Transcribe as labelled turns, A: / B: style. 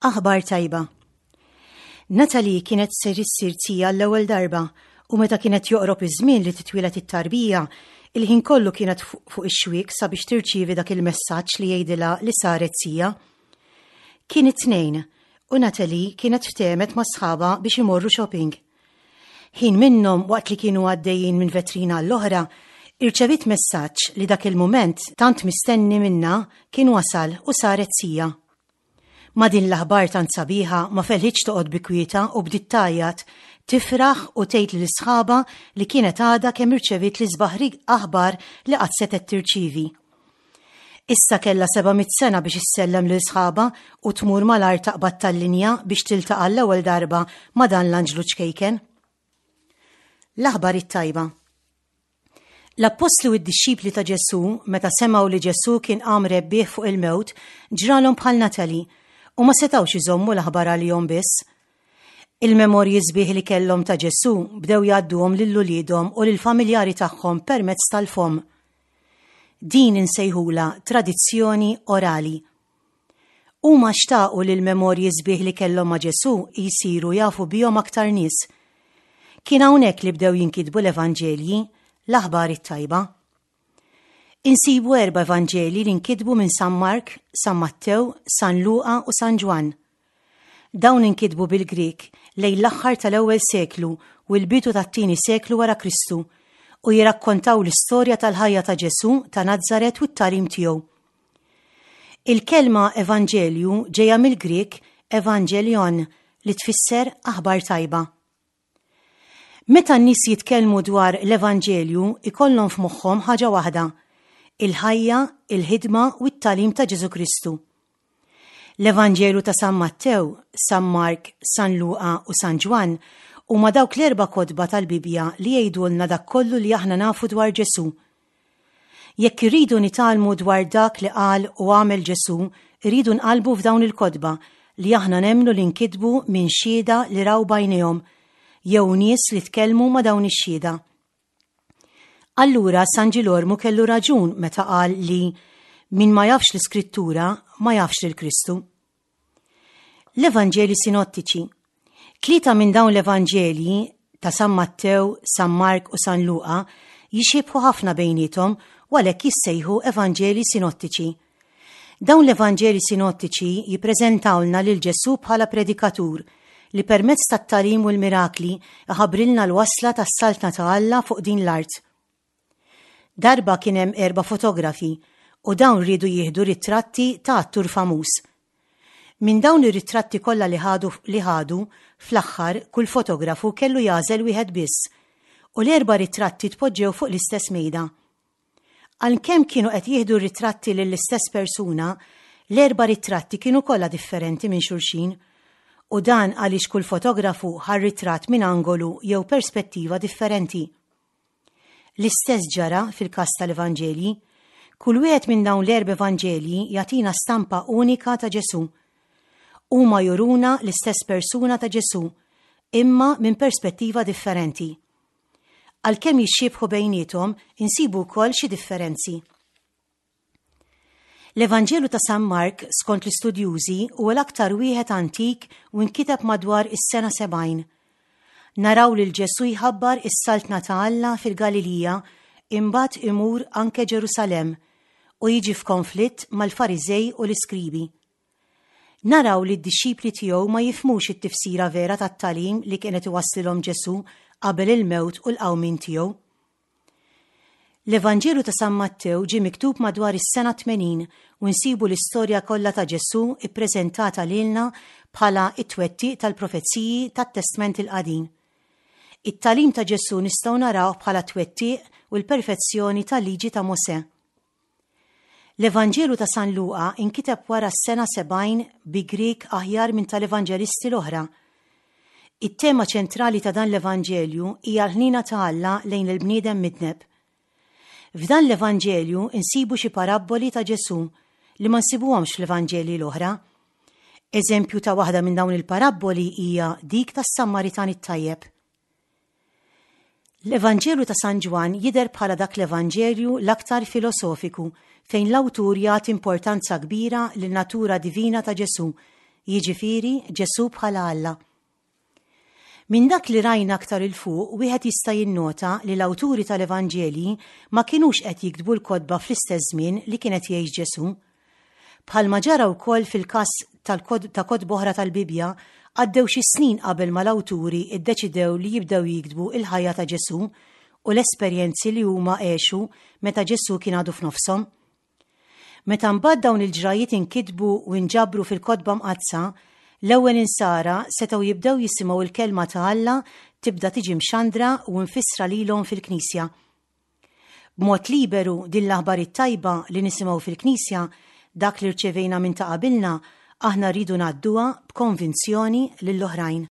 A: Aħbar tajba. Natalie kienet ser issir tija l-ewwel darba u meta kienet joqrob iż-żmien li titwieled it-tarbija, il-ħin kollu kienet fuq ix-xwiek sabiex tirċievi dak il-messaġġ li jgħidilha li saret sija. Kien it-tnejn u Natalie kienet ftehmet ma' sħabha biex imorru shopping. Ħin minnhom waqt li kienu għaddejjin minn vetrina għall-oħra, irċeviet messaġġ li dak il-mument tant mistenni minnha kien wasal u saret sija. Ma' din l-aħbar tant sabiħa ma felħitx toqgħod bi kwietha u bdiet tgħajjat, tifraħ u tgħid lil sħabha li kienet għadha kemm irċeviet l-isbaħ aħbar li qatt setgħet tirċievi. Issa kellha 700 sena biex issellem lil sħabha u tmur malajr taqbad tal-linja biex tiltaqa' l-ewwel darba ma' dan l-anġlu ċkejken. L-aħbar it-tajba. L-appostli u d-dixxipli ta' Ġesù, meta semgħu li Ġesù kien qam rebbieħ fuq il-mewt, ġralhom bħal Natalie u ma setgħux iżommu l-aħbar għalihom biss. Il-memorji sbieħ li kellhom ta' Ġesù bdew jgħadduhom lil uliedhom u lill-familjari tagħhom permezz tal-fomm. Din insejħulha tradizzjoni orali. Huma xtaqu li l-memorji sbieħ li kellhom ma' Ġesù jsiru jafu bihom aktar nies. Kien hawnhekk li bdew jinkitbu l-Evanġelji, l-aħbar it-tajba. Insibu erba' Evanġelji li nkitbu minn San Mark, San Mattew, San Luqa u San Ġwann. Dawn inkitbu bil-Grieg lejn l-aħħar tal-ewwel seklu u l-bidu tat-tieni seklu wara Kristu u jirrakkontaw l-istorja tal-ħajja ta' Ġesù ta' Nazaret u t-tagħlim tiegħu. Il-kelma evanġelju ġejja mill-Grieg evangelion li tfisser aħbar tajba. Meta n-nies jitkellmu dwar l-evanġelju ikollhom f'moħħhom ħaġa waħda, il-ħajja, il-ħidma u t-tagħlim ta' Ġesù Kristu. L-Evanġelju ta' San Mattew, San Mark, San Luqa u San Ġwann huma dawk l-erba' kotba tal-Bibbja li jgħidulna dak kollu li aħna nafu dwar Ġesù. Jekk irridu nitgħallmu dwar dak li qal u għamel Ġesù, irridu nqallbu f'dawn il-kotba li aħna nemmnu li nkitbu minn xhieda li raw b'għajnejhom, jew nies li tkellmu ma' dawn ix-xhieda. Allura San Ġilormu kellu raġun meta qal li min ma jafx l-Iskrittura ma jafx lil Kristu. L-Evanġelji Sinottiċi. Tlieta minn dawn l-Evanġelji ta' San Mattew, San Mark u San Luqa jixxiebħu ħafna bejniethom u għalhekk jissejħu Evanġelji Sinottiċi. Dawn l-Evanġelji Sinottiċi jippreżentawlna lil Ġesù bħala predikatur li permezz tat-tagħlim u l-mirakli iħabbrilna l-wasla tas-Saltna ta' Alla fuq din l-art. Darba kien hemm erba' fotografi u dawn riedu jieħdu ritratti ta' attur famuż. Minn dawn ir-ritratti kollha li ħadu li ħadu, fl-aħħar kull fotografu kellu jagħżel wieħed biss u l-erba' ritratti tpoġġew fuq l-istess mejda. Għalkemm kienu qed jieħdu r-ritratti lill-istess persuna, l-erba' ritratti kienu kollha differenti minn xulxin. U dan għaliex kull fotografu ħa r-ritratt minn angolu jew perspettiva differenti. L-istess ġara fil-każ tal-Evanġelji. Kull wieħed minn dawn l-erba' Evanġelji jagħtina stampa unika ta' Ġesù. Huma juruna l-istess persuna ta' Ġesù, imma minn perspettiva differenti. Għalkemm jixxiebħu bejniethom, insibu wkoll xi differenzi. L-Evanġelu ta' San Mark, skont l-istudjużi, huwa l-aktar wieħed antik u nkiteb madwar is-sena 70. Naraw lil Ġesù jħabbar is-Saltna ta' Alla fil-Galilija imbagħad imur anke Ġerusalemm u jiġi f'konflitt mal-Fariżej u l-iskribi. Naraw li d-dixxipli tiegħu ma jifhmux it-tifsira vera tat-tagħlim li kien qed iwasslilhom Ġesù qabel il-mewt u l-qawmien tiegħu. L-Evanġelu ta' San Mattew ġie miktub madwar is-sena 80 u nsibu l-istorja kollha ta' Ġesù ppreżentata lilna bħala t-twettiq tal-profeziji tat-Testment il-Qadim. It-tagħlim ta' Ġesù nistgħu narawh bħala t-twettiq u l-perfezzjoni tal-Liġi ta' Mosè. L-Evanġelu ta' San Luqa nkiteb wara s-sena 70 bi Grieg aħjar minn tal-Evanġelisti l-oħra. It-tema ċentrali ta' dan l-Evanġelju hija l-ħniena ta' Alla lejn il-bniedem midneb. F'dan l-Evanġelju nsibu xi parabboli ta' Ġesù li ma nsibuhomx fl-Evanġelji l-oħra. Eżempju ta' waħda minn dawn il-parabboli hija dik tas-Sammaritan it-tajjeb. L-Evanġelju ta' San Ġwann jidher bħala dak l-Evanġelju l-aktar filosofiku fejn l-awtur jagħti importanza kbira lin-natura divina ta' Ġesù, jiġifieri Ġesù bħala Alla. Minn dak li rajna aktar 'il fuq wieħed jista' jinnota li l-awturi tal-Evanġelji ma kinux qed jiktbu l-kotba fl-istess żmien li kien qed jgħix Ġesù. Bħalma ġara wkoll fil-każ ta' kotba oħra tal-Bibbja, għaddew xi snin qabel ma l-awturi ddeċidew li jibdew jiktbu l-ħajja ta' Ġesù u l-esperjenzi li huma għexu meta Ġesù kien għadu f'nofshom. Meta mbagħad dawn il-ġrajjiet inkitbu u nġabru fil-Kotba Mqaddsa, l-ewwel Insara setgħu jibdew jisimgħu l-Kelma ta' Alla tibda tiġi mxandra u mfissra lilhom fil-Knisja. B'mod liberu din l-aħbar it-tajba li nisimgħu fil-Knisja, dak li rċevejna minn ta' qabilna, aħna rridu ngħadduha b'konvinzjoni lill-oħrajn.